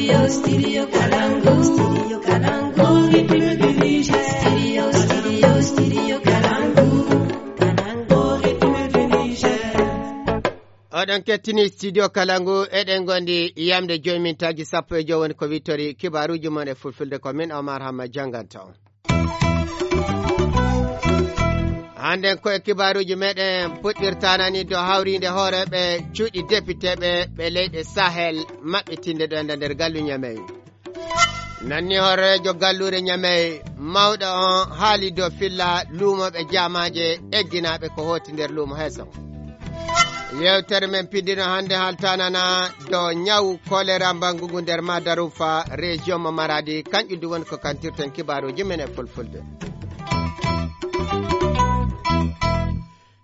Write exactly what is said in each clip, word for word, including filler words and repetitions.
Studio Kalangu, Studio Kalangu, Studio Kalangu, Kalangu, Studio Kalangu. Oɗon kettini Studio Kalangu, eɗen ngondi yamde joyi mintaaji sappo e joyi woni ko wittori kibaaruuji mon e fulfulde, ko min Omar Hamma jannganta on. Hannden ko e kibaaruuji meɗen puɗɗirtanani dow hawriinde hooreeɓe cuuɗi depiteeɓe ɓe leyɗe Sahel maɓɓitinde ɗo enda nder gallu Ñamey. Nanni hooreejo galluure Ñamey mawɗo on haali dow filla luumooɓe jaamaaje egginaaɓe ko hooti nder luumo heeso. Yewtere men pindino hannde haltanana dow ñawu kolera mbangugu nder Madarufa, région mo Maradi, kanƴu du woni ko kantirten kibaaruuji men e fulfulde.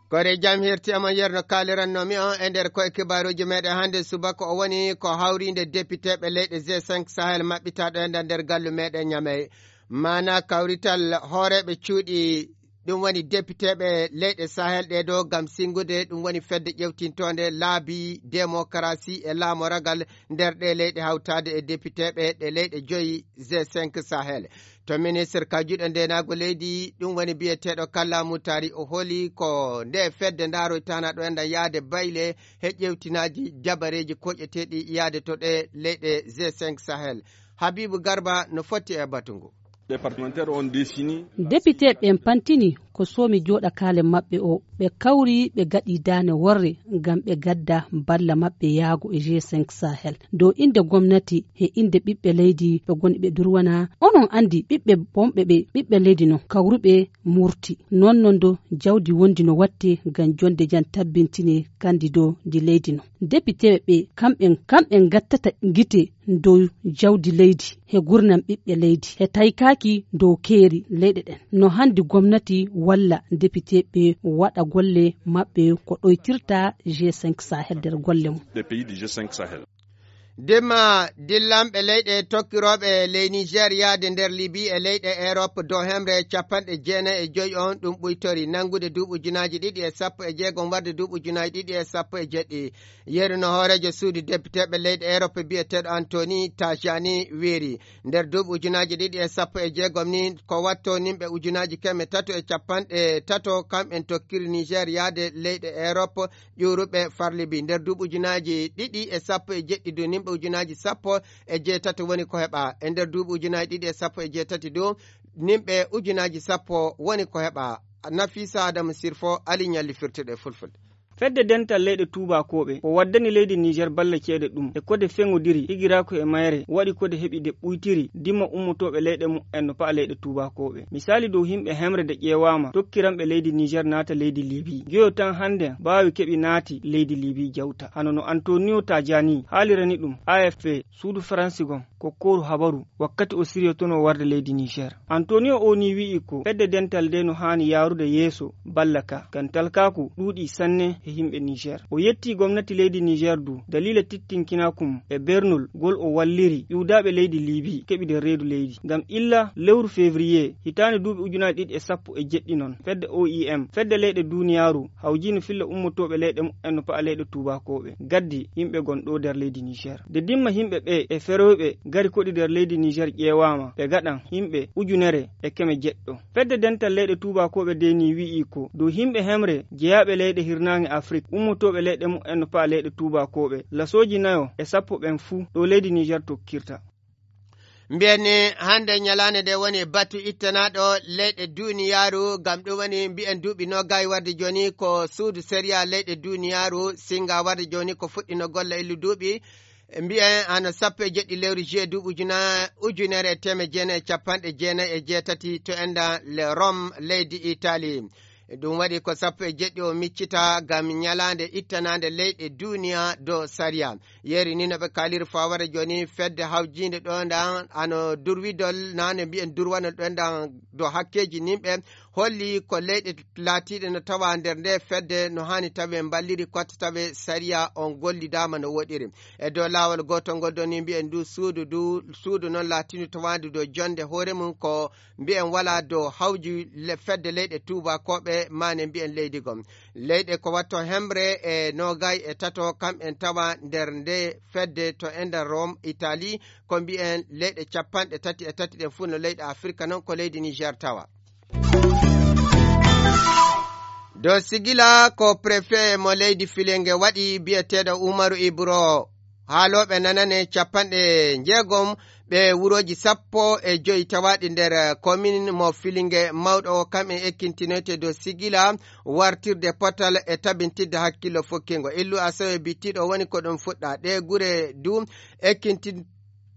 Kore jam hirti e mon yerno kaalirannomi on e nder koye kibaaruuji meɗen hannde subaka o woni ko hawriinde depiteeɓe leyɗe G cinq Sahel maɓɓitaaɗo e nder, nder gallu meɗen Ñamey. Maana kawrital hooreeɓe cuuɗi, ɗum woni depiteeɓe leyɗe Sahel ɗee ɗo ngam sinngude, ɗum woni fedde ƴewtintoonde laabi demokarasi e laamoragal nder ɗee leyɗe hawtaade e depiteeɓe ɗe leyɗe joyi G cinq Sahel. To ministre ka juuɗe ndeenaagu leydi, ɗum woni biyeteeɗo Kalla Mutari, o holi ko nde fedde ndaaroytana ɗo enda yaade bayle he ƴewtinaaji dabareeji koƴeteeɗi yaade to ɗe leyɗe G cinq Sahel. Habibu Garba no fotti e batu ngu. Départementaire on décennie. Depiteeɓe ɓen pantini ko soomi jooɗakaale maɓɓe o. Ɓe kawri, ɓe gaɗi daane worre ngam ɓe gadda balla maɓɓe yaago e G cinq Sahel. Dow innde gomnati he innde ɓiɓɓe leydi ɓe goni ɓe durwana. Onon anndi ɓiɓɓe bonɓe ɓe, ɓiɓɓe leydi non kawruɓe murti. Non non do jawdi wondi no watte ngam jonde jam tabbintine kandi dow ndi leydi non. Depiteeɓe ɓe kamɓe, kamɓe gattata gite dow jawdi leydi, he gurnam ɓiɓɓe leydi, he taykaaki dow keeri leyɗe ɗen. No handi gomnati walla depiteeɓe waɗa golle maɓɓe ko ɗoytirta G cinq Sahel nder golle mum. Des pays du G cinq Sahel. Dimma dillanɓe leyɗe tokkirooɓe ley Niger yaade nder Libi e leyɗe Europe dow hemre capanɗe jeenayi e joyi on ɗum ɓuytori nanngude duuɓi ujunaaji ɗiɗi e sappo e jeegom warde duuɓi ujunaaji ɗiɗi e sappo e jeɗɗi. Yeru no hooreejo suudu depiteeɓe leyɗe Europe biyeteeɗo Anthony Tajani weeri. Nder duuɓi ujunaaji ɗiɗi e sappo e jeegom ni, ko watto nimɓe ujunaaji keme tato e capanɗe tato, kamɓen tokkiri Niger yaade leyɗe Europe ƴuuruɓe far Libi. Nder duuɓi ujunaaji ɗiɗi e sappo e jeɗɗi du, nimɓe ujunaaji sappo e jeetati woni ko heɓa. E nder duuɓi ujunaaji ɗiɗi e sappo e jeetati du, nimɓe ujunaaji sappo woni ko heɓa. Nafisa Adamu Sirfo, Ali Ñalli firtuɗo e fulfulde. Fedde dental leyɗe tuubakooɓe ko waddani leydi Niger balla ceede ɗum e kode feŋodiri higiraaku e mayre waɗi kode heɓi de ɓuytiri dimma ummotooɓe leyɗe mumen no pa'a leyɗe tuubakooɓe. Misaali dow himɓe hemre de ƴeewaama tokkiranɓe leydi Niger naata leydi Libi. Joyo tan hannde mbaawi keɓi naati leydi Libi jawta. Hano no Antonio Tajani haalirani ɗum A F P, suudu Faransi gon, ko kooru habaru wakkati o siryotonoo warde leydi Niger. Antonio o ni wi'i ko fedde dental nde no haani yaarude yeeso balla ka, ngam talkaaku ɗuuɗi sanne he himɓe Niger. O yetti gomnati leydi Niger du daliila tittinkinaaku mum e bernol gol o walliri ƴuwdaaɓe leydi Libi keɓide reedu leydi. Ngam illa lewru février hitaande duuɓi ujunaaji ɗiɗi e sappo e jeɗɗi non, fedde O I M, fedde leyɗe duuniyaaru, hawjino filla ummotooɓe leyɗe mumen no pa'a leyɗe tuubakooɓe, gaddi yimɓe gon ɗo nder leydi Niger. De dimma yimɓe ɓe e feroyɓe gari koɗi nder leydi Niger ƴeewaama, ɓe gaɗan yimɓe ujunere e keme jeɗɗo. Fedde dental leyɗe tuubakooɓe de ni wi'i ko dow yimɓe hemre jeyaaɓe leyɗe hirnaange Afrik, ummotooɓe leyɗe mumen no pa'a leyɗe tuubakooɓe, lasooji nayo e sappo ɓen fuu ɗo leydi Niger tokkirta. Mbiyen ni hannde ñalaande nde woni batu ittanaaɗo leyɗe duuniyaaru, ngam ɗum woni mbiyen duuɓi noogay warde jooni ko suudu sariya leyɗe duuniyaaru singa warde jooni ko fuɗɗino golle illu duuɓi. Mbiyen hano sappo e jeɗɗi lewru juillet duuɓi ujuna-, ujunere e teemeɗɗe jeenayi e capanɗe jeenayi e jeetati to enda le Rome leydi Italie. Ɗum waɗi ko sappo e jeɗɗi o miccita ngam ñalaande ittanaande leyɗe duuniya dow sariya. Yeeri ni no ɓe kaaliri fawara jooni fedde hawjiinde ɗo ndan ano durwidol naane mbiyen durwanol ɗo ndan dow hakkeeji nimɓe holli ko leyɗe laatiiɗe no tawa nder nde fedde no haani tawe mballiri kotta tawe sariya on gollidaama no woɗiri. E dow laawol gootol ngol ɗon ni mbiyen ndu suudu, ndu suudu noon laatiindu tawaandu dow jonde hoore mum ko mbiyen walaa dow hawji le-, fedde leyɗe tuubakooɓe e maane mbiyen leydi gom. Leyɗe ko watto hemre e noogay e tato, kam en tawa nder nde fedde to ender Rome, Italie, ko mbiyen leyɗe capanɗe tati e tati ɗen fuu no leyɗe Afirka, non ko leydi Niger tawa. Dow sigila ko préfet mo leydi Filinge waɗi, biyeteeɗo Umaru Ibro. Haalooɓe nanane capanɗe njeegom ɓe wurooji sappo e joy tawaaɗi nder komin mo Filinge mawɗo o, kam en ekkintinoyte dow sigila wartirde potal e tabintidde hakkillo fokkingo. Illu Asawe bittiiɗo woni ko ɗum fuɗɗa. Ɗe gure du ekkintin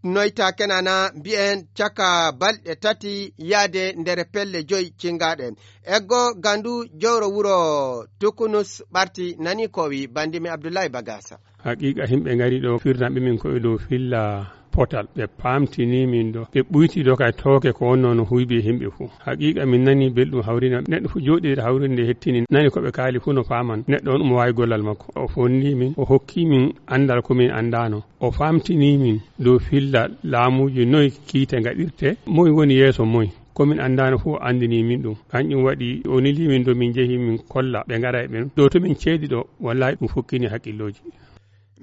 noyta kenana mbiyen caka balɗe tati yaade nder pelle joy cingaɗe. Eggo gandu jowro wuro Tukunus ɓarti nani ko wi bandimi Abdullahi Bagasa. Haqiqa himɓe ngari ɗo firnaɓe min koye dow filla potal, ɓe pamtini min ɗo, ɓe ɓuyti ɗo kay tooke ko wonno no huybi e himɓe fuu. Haqiqa min nani belɗum hawrina neɗɗo fuu jooɗi hawrinde hettini nani ko ɓe kaali fuu no faman neɗɗo on omo wawi gollal makko. O fonni min, o hokki min andal ko min andano. O famtini min dow filla laamuuji noy kiite ngaɗirte, moy woni yeeso moy. Ko min anndaano fof o anndini min ɗum. Kanƴum waɗi o neli min dow min njehi min kolla ɓe ngara e ɓen. Dow to min ceedi ɗo, wallahi ɗum fokkini hakkillooji.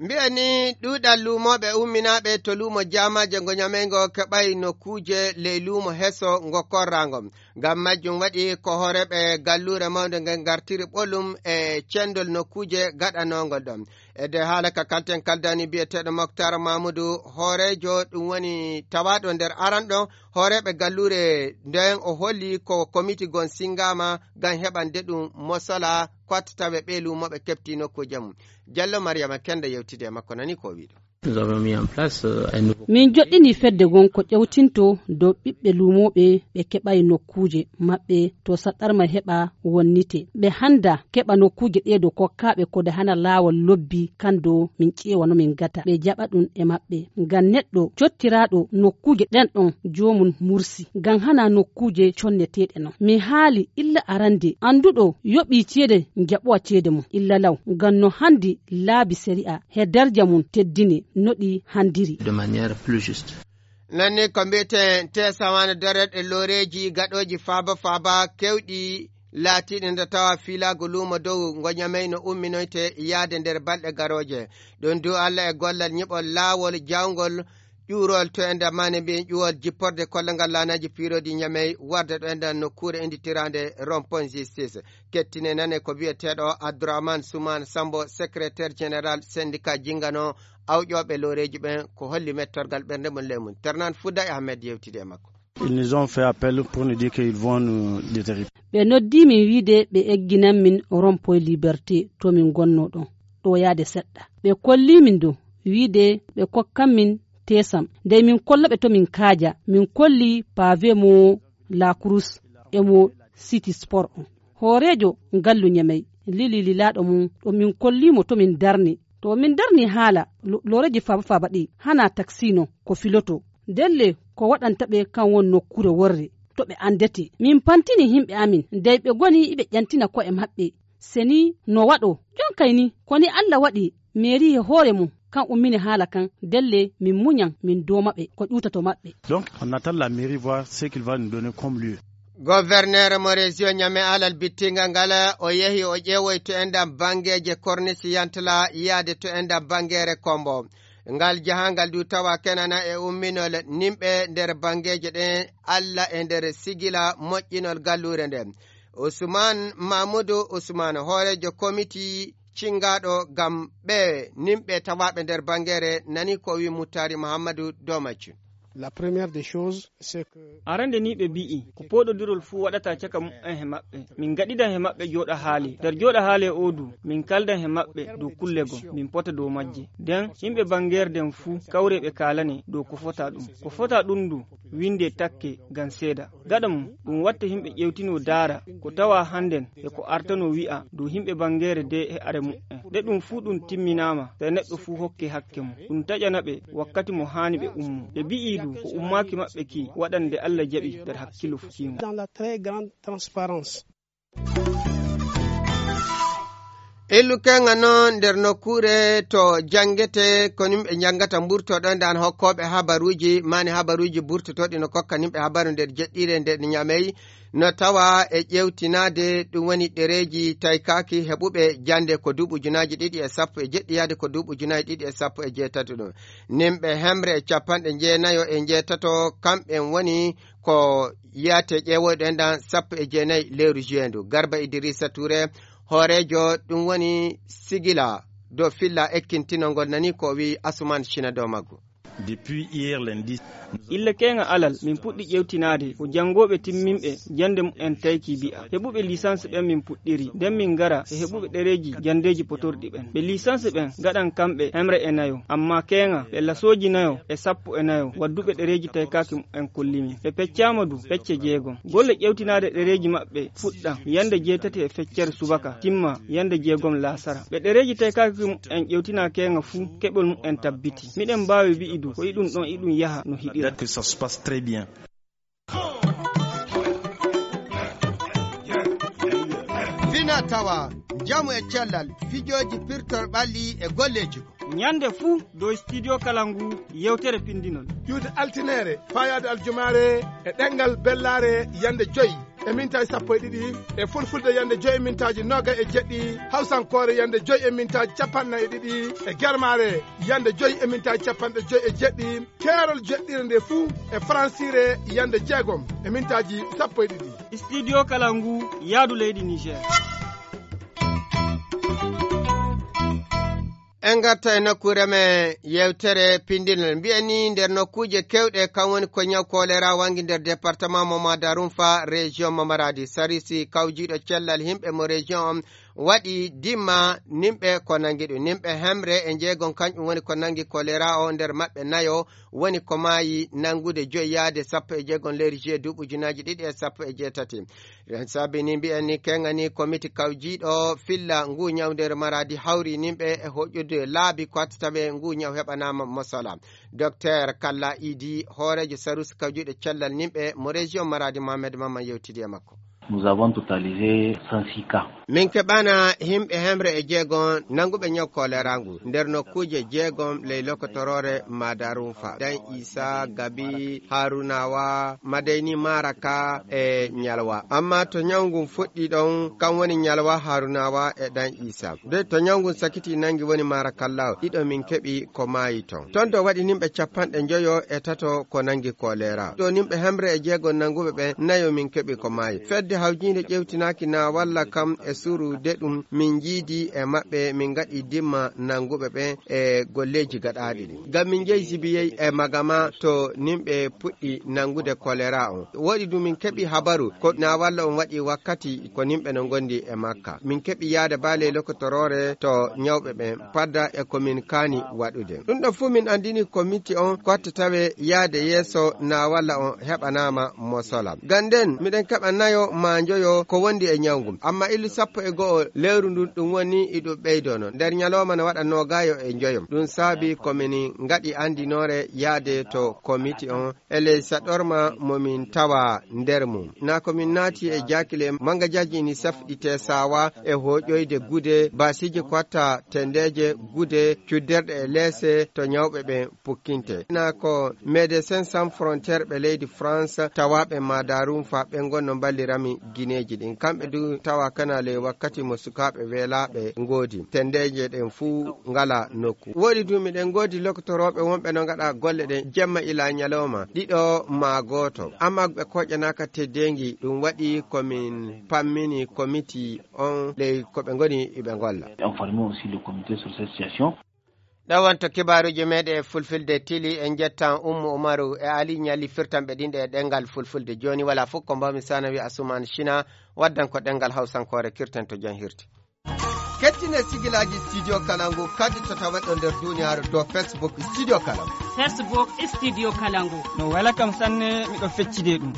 Mbiyen ni ɗuuɗal luumooɓe umminaaɓe to luumo jaamaaje ngo Ñamey ngo keɓay nokkuuje ley luumo heso ngo korraango. Ngam majjum waɗi ko hooreeɓe galluure mawnde nge ngartiri ɓolum e cendol nokkuuje gaɗanoongol ɗon. E nder haala ka kalten kaldani biyeteeɗo Moktar Mamudu, hooreejo ɗum woni tawaaɗo nder aranɗo hooreeɓe galluure nden, o holli ko komiti gon singaama ngam heɓande ɗum mosola ko watta tawe ɓe luumooɓe keɓti nokkuuje mum. Jallo Mariama Kenda yewtide e makko, nani ko o wi'i ɗum. Nous avons mis en place, euh, un nouveau Min joɗɗini fedde gon ko ƴewtinto dow ɓiɓɓe luumooɓe ɓe keɓay nokkuuje maɓɓe to saɗɗarma heɓa wonnite. Ɓe hannda keɓa nokkuuje ɗee dow kokkaaɓe ko de hana laawol lobbi kan dow min ƴeewa no min gata. Ɓe jaɓa ɗum e maɓɓe. Ngam neɗɗo cottiraaɗo nokkuuje ɗen ɗon joomum mursi. Ngam hana nokkuuje conneteeɗe non. Mi haali illa arande annduɗo yoɓii ceede jaɓowa ceede mum. Illa law. Ngam no hanndi laabi sari'a he darja mum teddini no ɗi hanndiri. De manière plus juste. Nanni ko mbiyeten te sawaane dareɗe looreeji gaɗooji faaba faaba kewɗi laatiiɗi nde tawa fiilaago luumo dow ngo Ñamey no umminoyte yaade nder balɗe garooje. Ɗum du Allah e gollal nyiɓol laawol jawngol ƴuurol to e nder maane mbiyen ƴuwol jipporde kollongal laanaaji piirooji Ñamey warde ɗo e nder nokkuure innditiraande Rond-point Justice. Kettine nane ko biyeteeɗo Abdourahmane Soumane Sambo, secrétaire général syndicat jingano awƴooɓe looreeji ɓen, ko holli mettorgal ɓernde mum ley mum. Ternan Fouda e Ahmed yewtide e makko. Ils nous ont fait appel pour nous dire qu'ils vont nous déterrer. Ɓe noddi min wiide ɓe egginan min Rond-point Liberté to min gonno ɗon, ɗo yaade seɗɗa. Ɓe kolli min dow wiide ɓe kokkan min tesam. Ndey min kolla ɓe to min kaaja, min kolli pavé mo La Cruz e mo City Sport on. Hooreejo ngallu Ñamey lili lilaaɗo mum ɗo min kolli mo to min darni. To min darni haala lo-, looreeji faaba faaba ɗi hana taksino ko filoto. Ndelle ko waɗanta ɓe kan won nokkuure worre to ɓe anndete. Min pantini himɓe amin, ndey ɓe goni iɓe ƴantina ko'e maɓɓe. Se ni no waɗo, jonkay ni, ko ni Alla waɗi meeri he hoore mum, kan ummini haala kan, ndelle min muñan, min dooma ɓe, ko ƴuwtato maɓɓe. Donc, on attend la mairie voir ce qu'il va nous donner comme lieu. Gouverneur mo région Niamey alal bittingal ngal, o yehi o ƴeewoy to enɗam banngeeje kornis yantala yaade to enɗam banngeere Kombo. Ngal jahangal du tawa kenana e umminol nimɓe nder banngeeje ɗen, Alla e nder sigila moƴƴinol galluure nden. Ousmane Mamoudou Ousmane, hooreejo komiti cinngaaɗo ngam ɓe nimɓe tawaaɓe nder banngeere, nani ko wi Muttari Muhammadu Domaci. La première des choses, c'est que Arande ni ɓe mbi'i, ko pooɗodirol fuu waɗata caka mu'en he maɓɓe. Min ngaɗidan he maɓɓe jooɗa haale. Nder jooɗa haale oo du, min kaldan he maɓɓe dow kulle gom, min pota dow majje. Nden, yimɓe banngeere nden fuu kawre ɓe kaalane dow ko fota ɗum. Ko fota ɗum du, winde takke ngam seeda. Gaɗa mum, ɗum watta yimɓe ƴewtino daara ko tawa hannden e ko artano wi'a dow yimɓe banngeere de e are mu'en. Nde ɗum fuu ɗum timminaama, sey neɗɗo fuu hokke hakke mum. Ɗum taƴana ɓe wakkati mo haani ɓe ummo. Ɓe mbi'i du, ko ummaaki maɓɓe ki waɗan nde Alla jaɓi nder hakkillo fuu kiingo. Dans la très grande transparence. Illu keŋa noon nder nokkuure to janngete, ko nimɓe njanngata mburtoɗo nde an hokkooɓe habaruuji, maani habaruuji burtotooɗi no kokka nimɓe habaru nder jeɗɗiire nde Ñamey, no tawa e ƴeewtinaade ɗum woni ɗereeji taykaaki heɓuɓe jannde ko duuɓi ujunaaji ɗiɗi e sappo e jeɗɗi yaade ko duuɓi ujunaaji ɗiɗi e sappo e jeetati ɗum. Nimɓe hemre e capanɗe jeenayo e jeetato, kamɓe woni ko yiyate ƴeewoyɗo en ɗan sappo e jeenayi lewru juin ndu. Garba Idrissa Touré, hooreejo ɗum woni sigila dow filla ekkintinol ngol, nani ko o wi'i Asuman Cina dow maggu. Depuis hier lundi. Ille keeŋa alal, min puɗɗi ƴeewtinaade ko janngooɓe timminɓe jannde mumen tayki bi'a. Heɓuɓe licence ɓen min puɗɗiri, nden min ngara e heɓuɓe ɗereeji janndeeji potorɗi ɓen. Ɓe licence ɓen ngaɗan kamɓe hemre e nayo, ammaa keeŋa ɓe lasooji nayo e sappo e nayo wadduɓe ɗereeji taykaaki mumen kolli min. Ɓe peccaama du pecce jeegom. Golle ƴeewtinaade ɗereeji maɓɓe fuɗɗan yande jeetati e feccere subaka, timma yande jeegom laasara. Ɓe ɗereeji taykaaki mumen ƴeewtinaa keeŋa fuu, keɓol mumen tabbiti. Miɗen mbaawi wi'i du ko iɗum ɗon iɗum yaha no hiɗira. Date que ça se passe très bien. Fina tawa, njamu e cellal, fijooji pirtor ɓalli e golleeji. Ñande fuu dow Studio Kalangu, yewtere pindinol. Iwde altineere, faayaade aljumaare, e ɗemngal bellaare, yande joy e mintaaji sappo e ɗiɗi, e fulfulde yande joy e mintaaji noogay e jeɗɗi, hawsankoore yande joy e mintaaji capanɗe nayi e ɗiɗi, e germaare yande joy e mintaaji capanɗe joy e jeɗɗi, keerol jeɗɗire nde fuu e faransiire yande jeegom e mintaaji sappo e ɗiɗi. Studio Kalangu, yaadu leydi Niger. En ngarta e nokkuure men yewtere pindinol. Mbiyen ni nder nokkuuje kewɗe, kan woni ko ñaw kolera wangi nder département mo Madarunfa, région mo Maradi. Sarisi kawjiiɗo cellal himɓe mo région on waɗi dimma nimɓe ko nangi ɗum. Nimɓe hemre e jeegom kanƴum woni ko nangi kolera o, nder maɓɓe nayo woni ko maayi, nangude joyi yaade sappo e jeegom lewru juillet duuɓi ujunaaji ɗiɗi e sappo e jeetati. Ren saabi ni mbiyen ni keŋa ni komiti kawjiiɗo filla ngu ñaw nder Maradi hawri nimɓe e hoƴude laabi ko hattata ɓe ngu ñaw heɓanaama mosala. Docteur Kalla Idi, hooreejo sarus kawjiiɗo cellal nimɓe mo région Maradi, Mohamed Mamman yewtidi e makko. Nous avons totalisé cent six cas. Min keɓana himɓe hemre e jeegom nanguɓe ñaw kolera ngu nder nokkuuje jeegom ley lokotoroore Madarunfa, Dan Isa, Gabi, Harunawa, Madayni, Maraka e Ñalwa. Amma to ñaw ngun fuɗɗi ɗon, kan woni Ñalwa, Harunawa e Dan Isa. De to ñaw ngun sakiti nangi woni Marakallawo, ɗiɗo min keɓi ko maayi ton. Ton to waɗi nimɓe capanɗe njoyo e tato ko nangi kolera. Ɗo nimɓe hemre e jeegom nanguɓe ɓen, nayo min keɓi ko maayi. Fedde hawjiinde ƴewtinaaki na walla kam e suru de ɗum min jiidi e maɓɓe, min ngaɗi dimma nanguɓe ɓen e golleeji gaɗaaɗi ɗin. Ngam min njehi Zibiyey e Magama to nimɓe puɗɗi nangude kolera on. Woɗi du min keɓi habaru ko na walla on waɗi wakkati ko nimɓe no ngondi e makka. Min keɓi yaade baaley lokotoroore to ñawɓe ɓen, padda e ko min kaani waɗude. Ɗum ɗo fuu min anndini komiti on ko hattata ɓe yaade yeeso na walla on heɓanaama mosola. Ganden, miɗen keɓa nayo maa njoyo ko wondi e ñaw ngun. Amma illu sappo e go'o lewru ndun ɗum woni iɗum ɓeydono. Nder ñalooma no waɗa noogayo e njoyo. Ɗum saabi ko min ngaɗi anndinoore yaade to komiti on e ley saɗorma mo min tawa nder mum. Na ko min naati e jaakile manga jaaji ini safɗi tesawa e hoƴoyde gude, basiiji ko watta tendeeje gude, cudderɗe e leese to ñawɓe ɓen pukkinte. Na ko Médecins Sans Frontières ɓe leydi France tawaaɓe Madarum fa ɓe ngonno mballirami gineeji ɗin. Kamɓe du tawa kana ley wakkati mo sukaaɓe weelaaɓe ngoodi. Tendeeje ɗen fuu ngala nokku. Woɗi du miɗen ngoodi lokotorooɓe wonɓe no ngaɗa golle ɗen jemma ila ñalawma, ɗiɗo maa gooto. Amma ɓe koƴanaaka teddeengi, ɗum waɗi ko min pammini komiti on ley ko ɓe ngoni iɓe ngolla. Informer aussi le comité sur cette situation. Ɗo wonto kibaaruuji meeɗen e fulfilde tili, en njettan Ummu Umaru e Ali Ñalli firtanɓe ɗin ɗe e ɗemngal fulfulde. Jooni walaa fof ko mbaawmi sana wi Asuman Sina waddan ko ɗemngal hawsankoore, kirten to jam hirti. Kettine sigilaaji Studio Kalangu kadi to tawa ɗo nder duniyaaru dow Facebook Studio Kalangu. Facebook Studio Kalangu. No wela kam sanne, miɗo feccide ɗum.